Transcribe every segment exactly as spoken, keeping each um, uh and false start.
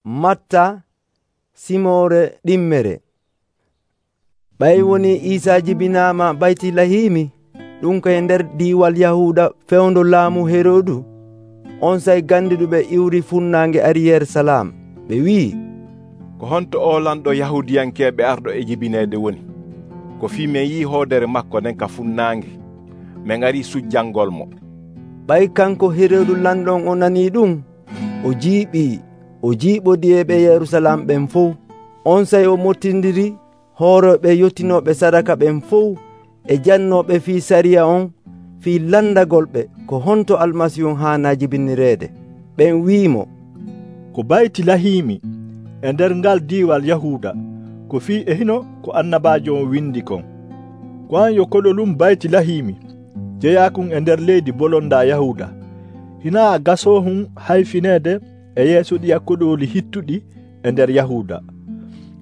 Matta, Simore ɗimmere. Ɓay woni Iisa jibinaama Baytilahimi, ɗum koye nder diiwal Yahuuda fewndo laamu Heroodu. On sey gandiduɓe iwri funnaange ari Yerusalam. Ɓe wi'i, ko honto o lamɗo Yahuudiyankeeɓe arɗo e jibineede woni? Ko fii min yi'i hoodere maako nden ka funnaange, min ngarii sujjangolmo. Ɓay kanko Heroodu lanɗon o nanii ɗum, o jiiɓii, o jiiɓodiiɓe Yerusalam ɓen fof. On sey o mottindiri hooroɓe yottinooɓe sadaka ɓen fof e jannooɓe fii sariya on fii landagolɓe ko honto Almasihu haanaa jibinireede. Ɓen wi'imo, ko Baytilahimi e nder ngal diiwal Yahuuda, ko fii e hino ko annabaajo on windi kon. Ko an yo koɗolum Baytilahimi, jeyaakun e nder leydi bolondaa Yahuuda. Hinaa a gasoohun hayfineede e yeeso ɗi koɗoli hittuɗi e nder Yahuuda.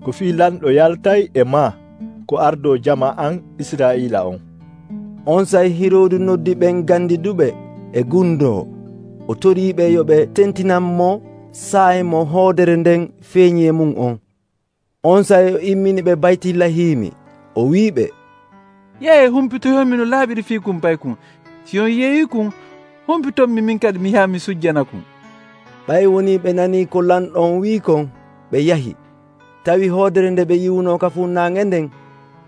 Ko fii lanɗo yaltay e maa ko ardo jama an Israa'iila on. On sey Hiroodu noddi ɓen gandiduɓe e gundo. O toriiɓe yo ɓe tentinanmo saahe mo hoodere nden feeñi e mum on. On sey o immini ɓe Baytilahimi. O wi'iɓe, yahe humpitoyonmi no laaɓiri fiikum paykun. Si on yeeyikun, humpitonmi min kadi mi yaha mi sujjanakun. Ɓay woni ɓe nanii ko lanɗon wi'i kon, ɓe yahi. Tawi hoodere nde ɓe yiwno ka funnaange nden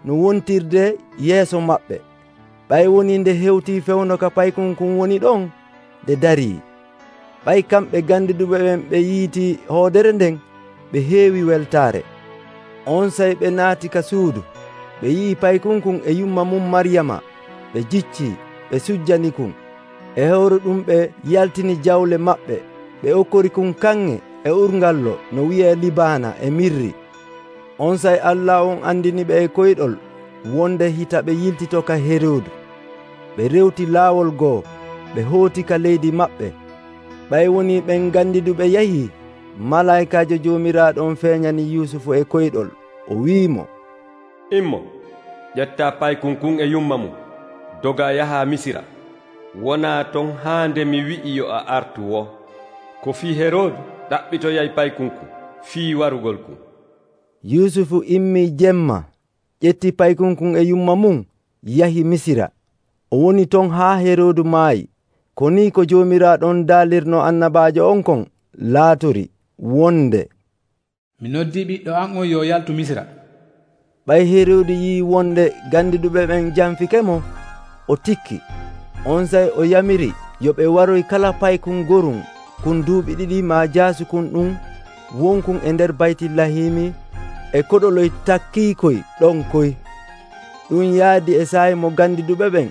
no wontirde yeeso maɓɓe. Ɓay woni nde hewtii fewno ka paykunkun woni ɗon, nde darii. Ɓay kamɓe gandiduɓe ɓen ɓe yiiti hoodere nden, ɓe heewi weltaare. On sey ɓe naati ka suudu, ɓe yi'i paykunkun e yumma mum Maryama, ɓe jiccii, ɓe sujjanikun. E hewre ɗum ɓe yaltini jawle maɓɓe, ɓe okkorikun kanŋe e urgallo no wiyee Libaana e mirri. On sey Allah on andiniɓe e koyɗol wonde hita ɓe yiltito ka Heroodu. Ɓe rewti laawol goo, ɓe hooti ka leydi maɓɓe. Ɓay woni ɓen gandiduɓe yahii, malaykaajo Joomiraaɗo on feeñani Yusufu e koyɗol. O wi'imo, immo, ƴetta paykunkun e yumma mum, doga yaha Misira. Wonaa ton haa nde mi wi'i yo a artu wo. Ko fii Heroodu ɗaɓɓitoyay paykunkun fii warugol kun. Yusufu immii jemma, ƴetti paykunkun e yumma mum, yahi Misira. O woni ton haa Heroodu maayi. Ko ni ko Joomiraaɗon daalirno annabaajo on kon laatori wonde, mi noddii ɓiɗɗo an on yo yaltu Misira. Ɓay Heroodu yii wonde gandiduɓe ɓen janfikemo, o tikki. On sey o yamiri yo ɓe waroy kala paykun gorum kun duuɓi ɗiɗi maa jaasukun ɗum wonkun e nder Baytilahimi e koɗoloy takkiikoy ɗon koy. Ɗum yaadi e saayi mo gandiduɓe ɓen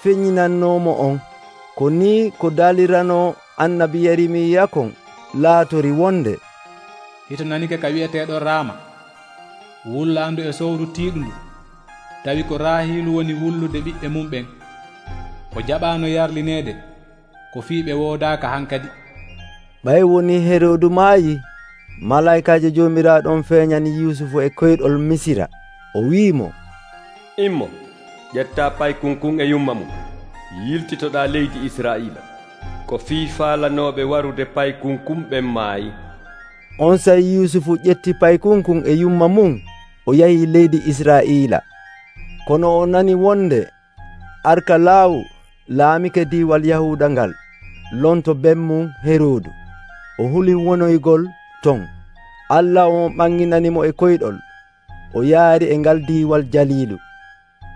feññinannoomo on. Ko ni ko daalirano annabi Yeremiya kon laatori wonde, hito nanike ka wi'eteeɗo Raama, wullaandu e sowru tiiɗundu, tawi ko Raahiilu woni wullude ɓiɓɓe mum ɓen. O jaɓaano yarlineede, ko fii ɓe woodaaka hankadi. Ɓay woni Heroodu maayi, malaykaajo Joomiraaɗo on feeñani Yusufu e koyɗol Misira. O wi'imo, immo, ƴetta paykunkun e yumma mum, yiltitoɗaa leydi Israa'iila. Ko fii faalanooɓe warude paykunkun ɓen maayi. On sey Yusufu ƴetti paykunkun e yumma mum, o yahi leydi Israa'iila. Kono o nani wonde Arkalaawu laamike diiwal Yahuuda ngal lonto bemmum Heroodu. O huli wonoygol ton. Allah on ɓanginanimo e koyɗol. O yaari e ngal diiwal jaliilu.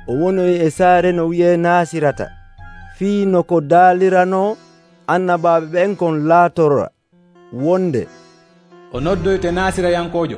O wonoyi e saare no wiyee Naasirata, fii no ko daalirano annabaaɓe ɓen kon laatora wonde, o noddoyte Naasirayankojo.